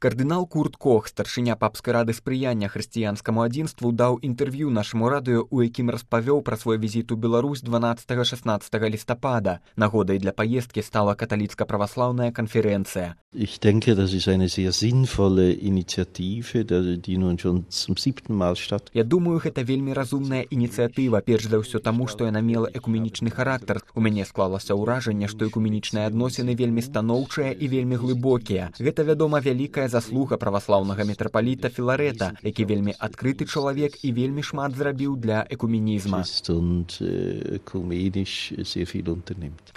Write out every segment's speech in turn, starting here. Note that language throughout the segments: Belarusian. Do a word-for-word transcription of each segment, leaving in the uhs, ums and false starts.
Кардынал Курт Кох, старшыня папскай рады спрыяння хрысціянскаму адзінству, даў інтэрв'ю нашаму радыё, у якім распавёў пра свой візіт у Беларусь дванаццатага-шаснаццатага лістапада. Нагодай для паездкі стала каталіцка-праваслаўная канферэнцыя. Ich denke, das ist eine sehr sinnvolle Initiative, die nun schon zum siebten Mal statt. Я думаю, гэта вельмі разумная ініцыятыва, перш за ўсё таму, што яна мела экуменічны характар. У мяне склалася ўражанне, што экуменічныя адносіны вельмі станоўчыя і вельмі глыбокія. Гэта, вядома, вялікая заслуга праваслаўнага мітрапаліта Філарэта, які вельмі адкрыты чалавек і вельмі шмат зрабіў для экуменізма.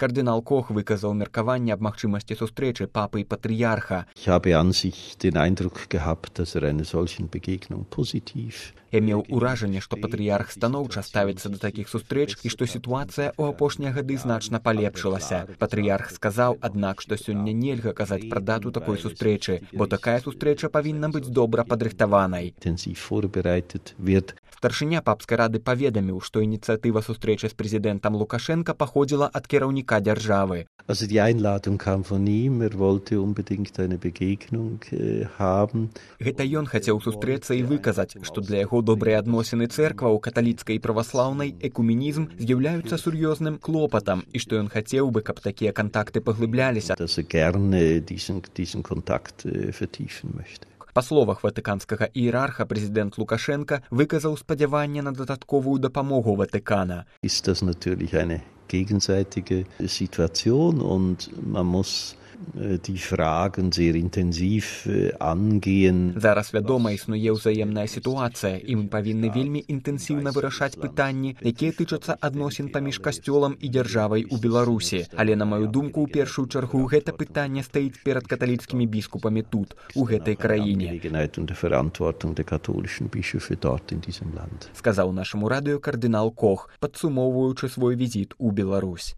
Кардынал Кох выказаў меркаванне аб магчымасці сустрэчы папы і патрыярха. Ich habe an sich den Eindruck gehabt, dass er einer solchen Begegnung positiv. Я меў уражанне, што патрыярх станоўча ставіцца да такіх сустрэч і што сітуацыя ў апошнія гады значна палепшылася. Патрыярх сказаў, аднак, што сёння нельга казаць пра дату такой сустрэчы, бо такая сустрэча павінна быць добра падрыхтаванай. Старшыня папскай рады паведаміў, што ініцыятыва сустрэчы з прэзідэнтам Лукашенка паходзіла ад кіраўніка дзяржавы. Also die Einladung kam von ihm, er wollte unbedingt eine Begegnung äh, haben. Гэта ён хацеў сустрэцца і выказаць, што для яго добрыя адносіны цэркваў, каталіцкай і праваслаўнай, экуменізм з'яўляюцца сур'ёзным клопатам і што ён хацеў бы, каб такія кантакты паглыбляліся. Dass er gerne diesen, diesen Kontakt äh, vertiefen möchte. Па словах ватыканскага іерарха, прэзідэнт Лукашенка выказаў спадзяванне на дадатковую дапамогу Ватыкана. Ist das natürlich eine gegenseitige Situation und man muss die Fragen sehr intensiv angehen. Зараз, вядома, існуе ўзаемная сітуацыя, і мы павінны вельмі інтэнсіўна вырашаць пытанні, якія тычацца адносін паміж касцёлам і дзяржавай у Беларусі. Але, на маю думку, у першую чаргу гэта пытанне стаіць перад каталіцкімі біскупамі тут, у гэтай краіне. Сказаў нашаму радыё кардынал Кох, падсумоўваючы свой візіт у Беларусь.